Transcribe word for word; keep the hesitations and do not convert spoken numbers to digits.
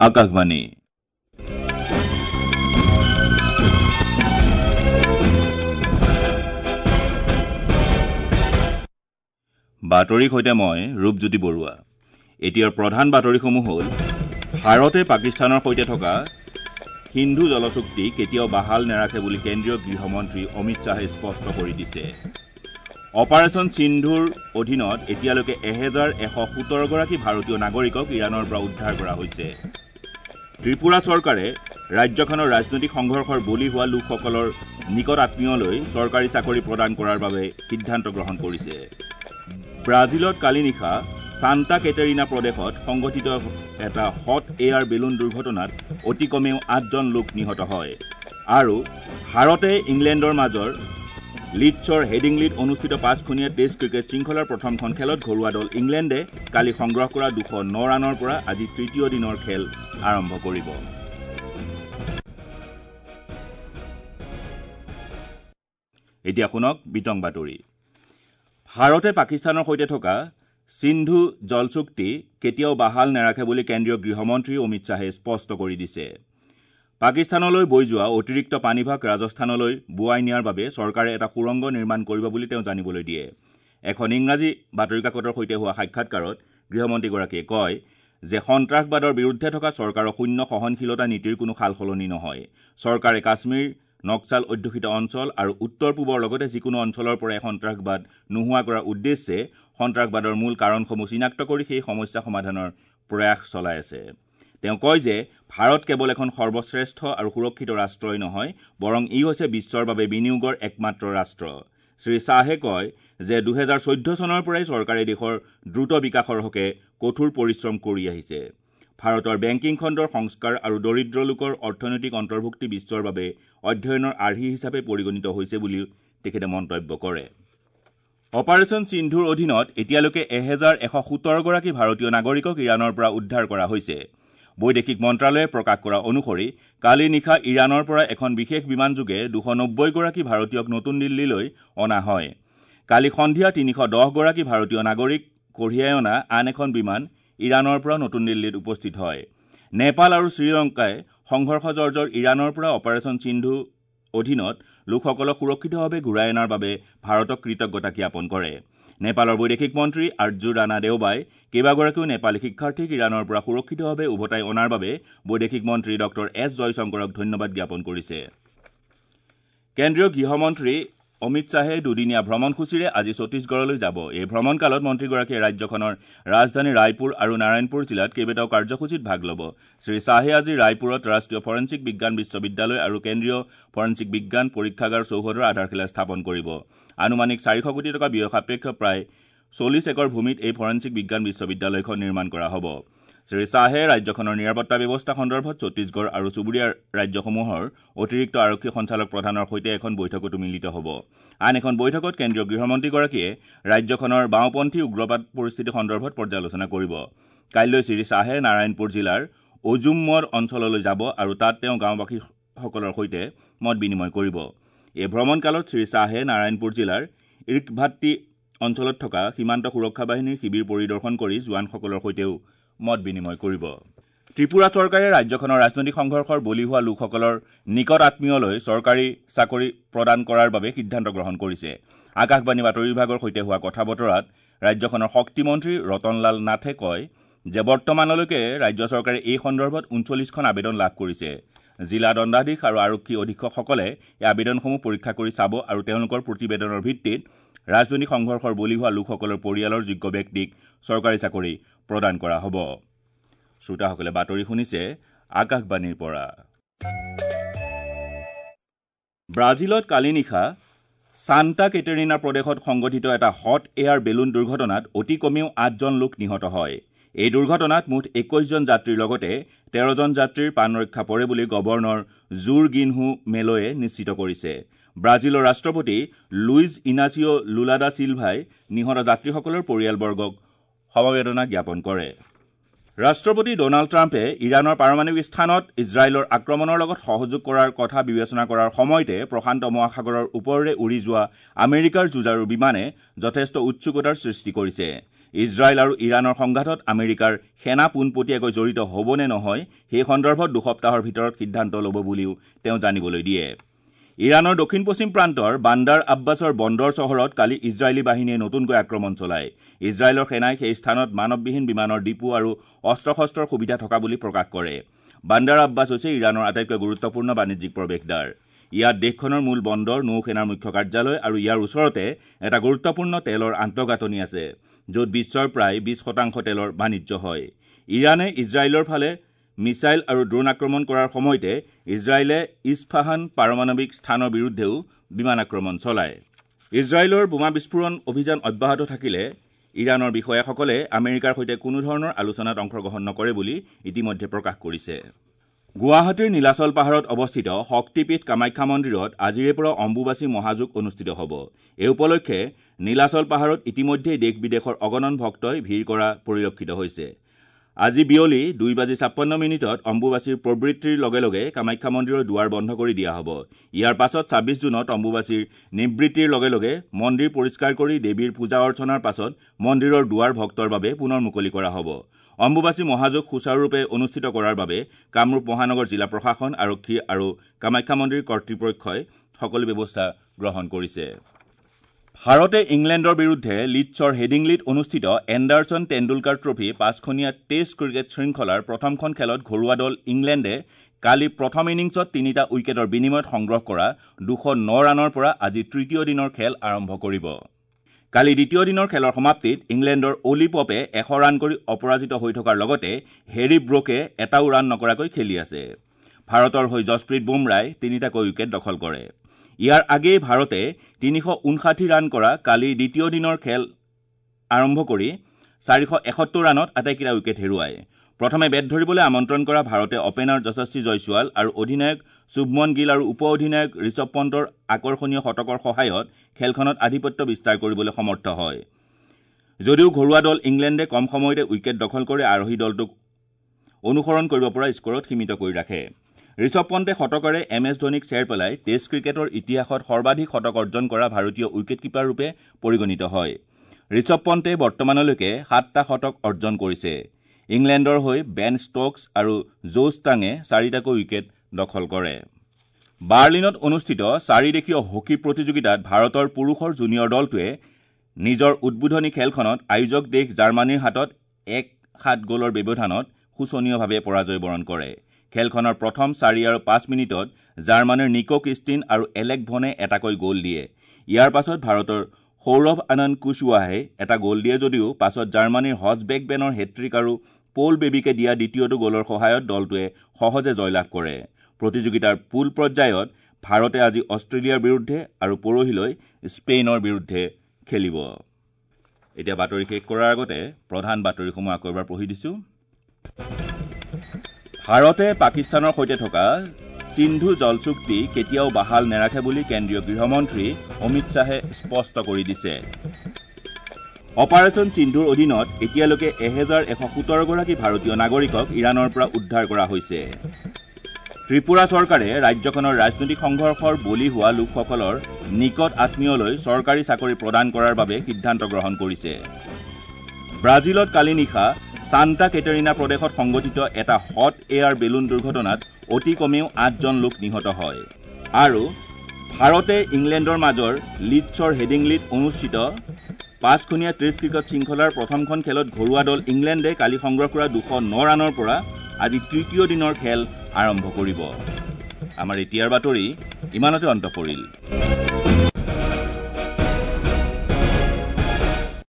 আকাশবাণী। বাতৰিৰ সৈতে মই ৰূপজ্যোতি বৰুৱা। এতিয়াৰ প্ৰধান বাতৰিসমূহ হ'ল: ভাৰতে পাকিস্তানৰ সৈতে থকা সিন্ধু জলচুক্তি কেতিয়াও বাহাল নেৰাখে বুলি কেন্দ্ৰীয় গৃহমন্ত্ৰী অমিত শ্বাহে স্পষ্ট কৰি দিছে। অপাৰেচন সিন্ধুৰ অধীনত এতিয়ালৈকে এহেজাৰ এশ সোতৰগৰাকী ভাৰতীয় নাগৰিকক ইৰাণৰ পৰা উদ্ধাৰ কৰা হৈছে। ত্ৰিপুৰা চৰকাৰে ৰাজ্যখনৰ ৰাজনৈতিক সংঘৰ্ষৰ বলি হোৱা লোকসকলৰ নিকট আত্মীয়লৈ চৰকাৰী চাকৰি প্ৰদান কৰাৰ বাবে সিদ্ধান্ত গ্ৰহণ কৰিছে। ব্ৰাজিলত কালি নিশা ছান্তা কেটেৰিনা প্ৰদেশত সংঘটিত এটা হট এয়াৰ বেলুন দুৰ্ঘটনাত অতি কমেও আঠজন লোক নিহত হয়। আৰু ভাৰতে ইংলেণ্ডৰ মাজৰ লিডছৰ হেডিংলিত অনুষ্ঠিত পাঁচখনীয়া টেষ্ট ক্ৰিকেট শৃংখলাৰ প্ৰথমখন খেলত ঘৰুৱা দল ইংলেণ্ডে কালি সংগ্ৰহ কৰা দুশ ন ৰানৰ পৰা আজি তৃতীয় দিনৰ খেল আৰম্ভ কৰিব। এতিয়া শুনক বিতং বাতৰি। ভাৰতে পাকিস্তানৰ সৈতে থকা সিন্ধু জলচুক্তি কেতিয়াও বাহাল নেৰাখে বুলি কেন্দ্ৰীয় গৃহমন্ত্ৰী অমিত শ্বাহে স্পষ্ট কৰি দিছে। পাকিস্তানলৈ বৈ যোৱা অতিৰিক্ত পানীভাগ ৰাজস্থানলৈ বোৱাই নিয়াৰ বাবে চৰকাৰে এটা সুৰংগ নিৰ্মাণ কৰিব বুলি তেওঁ জানিবলৈ দিয়ে। এখন ইংৰাজী বাতৰি কাকতৰ সৈতে হোৱা সাক্ষাৎকাৰত গৃহমন্ত্ৰীগৰাকীয়ে কয় যে সন্ত্ৰাসবাদৰ বিৰুদ্ধে থকা চৰকাৰৰ শূন্য সহনশীলতা নীতিৰ কোনো সালসলনি নহয়। চৰকাৰে কাশ্মীৰ, নক্সাল অধ্যুষিত অঞ্চল আৰু উত্তৰ পূবৰ লগতে যিকোনো অঞ্চলৰ পৰাই সন্ত্ৰাসবাদ নোহোৱা কৰাৰ উদ্দেশ্যে সন্ত্ৰাসবাদৰ মূল কাৰণসমূহ চিনাক্ত কৰি সেই সমস্যা সমাধানৰ প্ৰয়াস চলাই আছে। তেওঁ কয় যে ভাৰত কেৱল এখন সৰ্বশ্ৰেষ্ঠ আৰু সুৰক্ষিত ৰাষ্ট্ৰই নহয়, বৰং ই হৈছে বিশ্বৰ বাবে বিনিয়োগৰ একমাত্ৰ ৰাষ্ট্ৰ। শ্ৰী শ্বাহে কয় যে দুহেজাৰ চৈধ্য চনৰ পৰাই চৰকাৰে দেশৰ দ্ৰুত বিকাশৰ হকে কঠোৰ পৰিশ্ৰম কৰি আহিছে। ভাৰতৰ বেংকিং খণ্ডৰ সংস্কাৰ আৰু দৰিদ্ৰ লোকৰ অৰ্থনৈতিক অন্তৰ্ভুক্তি বিশ্বৰ বাবে অধ্যয়নৰ আৰ্হি হিচাপে পৰিগণিত হৈছে বুলিও তেখেতে মন্তব্য কৰে। অপাৰেচন সিন্ধুৰ অধীনত এতিয়ালৈকে এহেজাৰ এশ সোতৰগৰাকী ভাৰতীয় নাগৰিকক ইৰাণৰ পৰা উদ্ধাৰ কৰা হৈছে। বৈদেশিক মন্ত্ৰালয়ে প্ৰকাশ কৰা অনুসৰি কালি নিশা ইৰাণৰ পৰা এখন বিশেষ বিমানযোগে দুশ নব্বৈগৰাকী ভাৰতীয়ক নতুন দিল্লীলৈ অনা হয়। কালি সন্ধিয়া তিনিশ দহগৰাকী ভাৰতীয় নাগৰিক কঢ়িয়াই অনা আন এখন বিমান ইৰাণৰ পৰা নতুন দিল্লীত উপস্থিত হয়। নেপাল আৰু শ্ৰীলংকাই সংঘৰ্ষজৰ্জৰ ইৰাণৰ পৰা অপাৰেচন সিন্ধু অধীনত লোকসকলক সুৰক্ষিতভাৱে ঘূৰাই অনাৰ বাবে ভাৰতক কৃতজ্ঞতা জ্ঞাপন কৰে। নেপালৰ বৈদেশিক মন্ত্ৰী আৰ্জু ৰাণা দেওবাই কেইবাগৰাকীও নেপালী শিক্ষাৰ্থীক ইৰাণৰ পৰা সুৰক্ষিতভাৱে উভতাই অনাৰ বাবে বৈদেশিক মন্ত্ৰী ডক্টৰ এছ জয়শংকৰক ধন্যবাদ জ্ঞাপন কৰিছে। কেন্দ্ৰীয় গৃহমন্ত্ৰী অমিত শ্বাহে দুদিনীয়া ভ্ৰমণসূচীৰে আজি ছত্তীশগড়লৈ যাব। এই ভ্ৰমণকালত মন্ত্ৰীগৰাকীয়ে ৰাজ্যখনৰ ৰাজধানী ৰায়পুৰ আৰু নাৰায়ণপুৰ জিলাত কেইবাটাও কাৰ্যসূচীত ভাগ ল'ব। শ্ৰী শ্বাহে আজি ৰায়পুৰত ৰাষ্ট্ৰীয় ফৰেনছিক বিজ্ঞান বিশ্ববিদ্যালয় আৰু কেন্দ্ৰীয় ফৰেনছিক বিজ্ঞান পৰীক্ষাগাৰ চৌহদৰ আধাৰশিলা স্থাপন কৰিব। আনুমানিক চাৰিশ কোটি টকা ব্যয় সাপেক্ষ প্ৰায় চল্লিছ একৰ ভূমিত এই ফৰেনছিক বিজ্ঞান বিশ্ববিদ্যালয়খন নিৰ্মাণ কৰা হ'ব। শ্ৰী শ্বাহে ৰাজ্যখনৰ নিৰাপত্তা ব্যৱস্থা সন্দৰ্ভত ছত্তীশগড় আৰু চুবুৰীয়া ৰাজ্যসমূহৰ অতিৰিক্ত আৰক্ষী সঞ্চালক প্ৰধানৰ সৈতে এখন বৈঠকতো মিলিত হ'ব। আন এখন বৈঠকত কেন্দ্ৰীয় গৃহমন্ত্ৰীগৰাকীয়ে ৰাজ্যখনৰ বাওঁপন্থী উগ্ৰবাদ পৰিস্থিতি সন্দৰ্ভত পৰ্যালোচনা কৰিব। কাইলৈ শ্ৰী শ্বাহে নাৰায়ণপুৰ জিলাৰ অজুমমদ অঞ্চললৈ যাব আৰু তাত তেওঁ গাঁওবাসীসকলৰ সৈতে মত বিনিময় কৰিব। এই ভ্ৰমণকালত শ্ৰী শ্বাহে নাৰায়ণপুৰ জিলাৰ ইৰ্কভাট্টি অঞ্চলত থকা সীমান্ত সুৰক্ষা বাহিনীৰ শিবিৰ পৰিদৰ্শন কৰি জোৱানসকলৰ সৈতেও মত বিনিময় কৰিব। ত্ৰিপুৰা চৰকাৰে ৰাজ্যখনৰ ৰাজনৈতিক সংঘৰ্ষৰ বলি হোৱা লোকসকলৰ নিকট আত্মীয়লৈ চৰকাৰী চাকৰি প্ৰদান কৰাৰ বাবে সিদ্ধান্ত গ্ৰহণ কৰিছে। আকাশবাণী বাতৰি বিভাগৰ সৈতে হোৱা কথা বতৰাত ৰাজ্যখনৰ শক্তিমন্ত্ৰী ৰতনলাল নাথে কয় যে বৰ্তমানলৈকে ৰাজ্য চৰকাৰে এই সন্দৰ্ভত ঊনচল্লিছখন আবেদন লাভ কৰিছে। জিলা দণ্ডাধীশ আৰু আৰক্ষী অধীক্ষকসকলে এই আবেদনসমূহ পৰীক্ষা কৰি চাব আৰু তেওঁলোকৰ প্ৰতিবেদনৰ ভিত্তিত ৰাজনৈতিক সংঘৰ্ষৰ বলি হোৱা লোকসকলৰ পৰিয়ালৰ যোগ্য ব্যক্তিক চৰকাৰী চাকৰি প্ৰদান কৰা হ'ব। শ্ৰোতাসকলে বাতৰি শুনিছে আকাশবাণীৰ পৰা। ব্ৰাজিলত কালি নিশা ছান্তা কেটেৰিনা প্ৰদেশত সংঘটিত এটা হট এয়াৰ বেলুন দুৰ্ঘটনাত অতি কমেও আঠজন লোক নিহত হয়। এই দুৰ্ঘটনাত মুঠ একৈছজন যাত্ৰীৰ লগতে তেৰজন যাত্ৰীৰ প্ৰাণ ৰক্ষা পৰে বুলি গৱৰ্ণৰ জুৰ গিনহু মেলয়ে নিশ্চিত কৰিছে। ব্ৰাজিলৰ ৰাষ্ট্ৰপতি লুইজ ইনাচিঅ' লুলা দা চিলভাই নিহত যাত্ৰীসকলৰ পৰিয়ালবৰ্গক সমবেদনা জ্ঞাপন কৰে। ৰাষ্ট্ৰপতি ডনাল্ড ট্ৰাম্পে ইৰাণৰ পাৰমাণৱিক স্থানত ইজৰাইলৰ আক্ৰমণৰ লগত সহযোগ কৰাৰ কথা বিবেচনা কৰাৰ সময়তে প্ৰশান্ত মহাসাগৰৰ ওপৰেৰে উৰি যোৱা আমেৰিকাৰ যুঁজাৰু বিমানে যথেষ্ট উৎসুকতাৰ সৃষ্টি কৰিছে। ইজৰাইল আৰু ইৰাণৰ সংঘাতত আমেৰিকাৰ সেনা পোনপটীয়াকৈ জড়িত হ'ব নে নহয় সেই সন্দৰ্ভত দুসপ্তাহৰ ভিতৰত সিদ্ধান্ত ল'ব বুলিও তেওঁ জানিবলৈ দিয়ে। ইৰাণৰ দক্ষিণ পশ্চিম প্ৰান্তৰ বান্দাৰ আব্বাছৰ বন্দৰ চহৰত কালি ইজৰাইলী বাহিনীয়ে নতুনকৈ আক্ৰমণ চলায়। ইজৰাইলৰ সেনাই সেই স্থানত মানৱবিহীন বিমানৰ ডিপো আৰু অস্ত্ৰ শস্ত্ৰৰ সুবিধা থকা বুলি প্ৰকাশ কৰে। বান্দাৰ আব্বাছ হৈছে ইৰাণৰ আটাইতকৈ গুৰুত্বপূৰ্ণ বাণিজ্যিক প্ৰৱেশদ্বাৰ। ইয়াত দেশখনৰ মূল বন্দৰ, নৌসেনাৰ মুখ্য কাৰ্যালয় আৰু ইয়াৰ ওচৰতে এটা গুৰুত্বপূৰ্ণ তেলৰ আন্তঃগাঁথনি আছে, য'ত বিশ্বৰ প্ৰায় বিশ শতাংশ তেলৰ বাণিজ্য হয়। ইৰাণে ইজৰাইলৰ ফালে মিছাইল আৰু ড্ৰোন আক্ৰমণ কৰাৰ সময়তে ইজৰাইলে ইছফাহান পাৰমাণৱিক স্থানৰ বিৰুদ্ধেও বিমান আক্ৰমণ চলায়। ইজৰাইলৰ বোমা বিস্ফোৰণ অভিযান অব্যাহত থাকিলে ইৰাণৰ বিষয়াসকলে আমেৰিকাৰ সৈতে কোনো ধৰণৰ আলোচনাত অংশগ্ৰহণ নকৰে বুলি ইতিমধ্যে প্ৰকাশ কৰিছে। গুৱাহাটীৰ নীলাচল পাহাৰত অৱস্থিত শক্তিপীঠ কামাখ্যা মন্দিৰত আজিৰে পৰা অম্বুবাচী মহাযোগ অনুষ্ঠিত হ'ব। এই উপলক্ষে নীলাচল পাহাৰত ইতিমধ্যেই দেশ বিদেশৰ অগণন ভক্তই ভিৰ কৰা পৰিলক্ষিত হৈছে। আজি বিয়লি দুই বাজি ছাপন্ন মিনিটত অম্বুবাচীৰ প্ৰবৃত্তিৰ লগে লগে কামাখ্যা মন্দিৰৰ দুৱাৰ বন্ধ কৰি দিয়া হ'ব। ইয়াৰ পাছত ছাব্বিছ জুনত অম্বুবাচীৰ নিবৃত্তিৰ লগে লগে মন্দিৰ পৰিষ্কাৰ কৰি দেৱীৰ পূজা অৰ্চনাৰ পাছত মন্দিৰৰ দুৱাৰ ভক্তৰ বাবে পুনৰ মুকলি কৰা হ'ব। অম্বুবাচী মহাযোগ সুচাৰুৰূপে অনুষ্ঠিত কৰাৰ বাবে কামৰূপ মহানগৰ জিলা প্ৰশাসন, আৰক্ষী আৰু কামাখ্যা মন্দিৰ কৰ্তৃপক্ষই সকলো ব্যৱস্থা গ্ৰহণ কৰিছে। ভাৰতে ইংলেণ্ডৰ বিৰুদ্ধে লিডছৰ হেডিংলিত অনুষ্ঠিত এণ্ডাৰছন টেণ্ডুলকাৰ ট্ৰফী পাঁচখনীয়া টেষ্ট ক্ৰিকেট শৃংখলাৰ প্ৰথমখন খেলত ঘৰুৱা দল ইংলেণ্ডে কালি প্ৰথম ইনিংছত তিনিটা উইকেটৰ বিনিময়ত সংগ্ৰহ কৰা দুশ ন ৰানৰ পৰা আজি তৃতীয় দিনৰ খেল আৰম্ভ কৰিব। কালি দ্বিতীয় দিনৰ খেলৰ সমাপ্তিত ইংলেণ্ডৰ অলি পপে এশ ৰান কৰি অপৰাজিত হৈ থকাৰ লগতে হেৰী ব্ৰকে এটাও ৰান নকৰাকৈ খেলি আছে। ভাৰতৰ হৈ যশপ্ৰীত বুমৰাই তিনিটাকৈ উইকেট দখল কৰে। ইয়াৰ আগেয়ে ভাৰতে তিনিশ ঊনষাঠি ৰান কৰা কালি দ্বিতীয় দিনৰ খেল আৰম্ভ কৰি চাৰিশ এসত্তৰ ৰানত আটাইকেইটা উইকেট হেৰুৱায়। প্ৰথমে বেট ধৰিবলৈ আমন্ত্ৰণ কৰা ভাৰতে অপেনাৰ যশস্বী জয়ছোৱাল আৰু অধিনায়ক শুভমন গিল আৰু উপ অধিনায়ক ঋষভ পণ্টৰ আকৰ্ষণীয় শতকৰ সহায়ত খেলখনত আধিপত্য বিস্তাৰ কৰিবলৈ সমৰ্থ হয়। যদিও ঘৰুৱা দল ইংলেণ্ডে কম সময়তে উইকেট দখল কৰি আৰোহী দলটোক অনুসৰণ কৰিব পৰা স্ক'ৰত সীমিত কৰি ৰাখে। ঋষভ পণ্টে শতকৰে এম এছ ধোনীক চেৰ পেলাই টেষ্ট ক্ৰিকেটৰ ইতিহাসত সৰ্বাধিক শতক অৰ্জন কৰা ভাৰতীয় উইকেটকিপাৰ ৰূপে পৰিগণিত হয়। ঋষভ পণ্টে বৰ্তমানলৈকে সাতটা শতক অৰ্জন কৰিছে। ইংলেণ্ডৰ হৈ বেন ষ্ট'কছ আৰু জোছ টাঙে চাৰিটাকৈ উইকেট দখল কৰে। বাৰ্লিনত অনুষ্ঠিত চাৰিদেশীয় হকী প্ৰতিযোগিতাত ভাৰতৰ পুৰুষৰ জুনিয়ৰ দলটোৱে নিজৰ উদ্বোধনী খেলখনত আয়োজক দেশ জাৰ্মানীৰ হাতত এক সাত গ'লৰ ব্যৱধানত শোচনীয়ভাৱে পৰাজয় বৰণ কৰে। খেলখনৰ প্ৰথম চাৰি আৰু পাঁচ মিনিটত জাৰ্মানীৰ নিকো কিষ্টিন আৰু এলেক ভনে এটাকৈ গ'ল দিয়ে। ইয়াৰ পাছত ভাৰতৰ সৌৰভ আনন্দ কুশৱাহে এটা গ'ল দিয়ে যদিও পাছত জাৰ্মানীৰ হজবেক বেনৰ হেট্ৰিক আৰু প'ল বেবিকে দিয়া দ্বিতীয়টো গ'লৰ সহায়ত দলটোৱে সহজে জয়লাভ কৰে। প্ৰতিযোগিতাৰ পুল পৰ্যায়ত ভাৰতে আজি অষ্ট্ৰেলিয়াৰ বিৰুদ্ধে আৰু পৰহিলৈ স্পেইনৰ বিৰুদ্ধে খেলিব। এতিয়া বাতৰি শেষ কৰাৰ আগতে প্ৰধান বাতৰিসমূহ আকৌ এবাৰ পঢ়ি দিছোঁ। ভাৰতে পাকিস্তানৰ সৈতে থকা সিন্ধু জল চুক্তি কেতিয়াও বাহাল নেৰাখে বুলি কেন্দ্ৰীয় গৃহমন্ত্ৰী অমিত শ্বাহে স্পষ্ট কৰি দিছে। অপাৰেশ্যন সিন্ধুৰ অধীনত এতিয়ালৈকে এহেজাৰ এশ সোতৰগৰাকী ভাৰতীয় নাগৰিকক ইৰাণৰ পৰা উদ্ধাৰ কৰা হৈছে। ত্ৰিপুৰা চৰকাৰে ৰাজ্যখনৰ ৰাজনৈতিক সংঘৰ্ষৰ বলি হোৱা লোকসকলৰ নিকট আত্মীয়লৈ চৰকাৰী চাকৰি প্ৰদান কৰাৰ বাবে সিদ্ধান্ত গ্ৰহণ কৰিছে। ব্ৰাজিলত কালি নিশা ছান্তা কেটেৰিনা প্ৰদেশত সংঘটিত এটা হট এয়াৰ বেলুন দুৰ্ঘটনাত অতি কমেও আঠজন লোক নিহত হয়। আৰু ভাৰতে ইংলেণ্ডৰ মাজৰ লিডছৰ হেডিংলিত অনুষ্ঠিত পাঁচখনীয়া টেষ্ট ক্ৰিকেট শৃংখলাৰ প্ৰথমখন খেলত ঘৰুৱা দল ইংলেণ্ডে কালি সংগ্ৰহ কৰা দুশ ন ৰানৰ পৰা আজি তৃতীয় দিনৰ খেল আৰম্ভ কৰিব। আমাৰ এতিয়াৰ বাতৰি ইমানতে অন্ত পৰিল।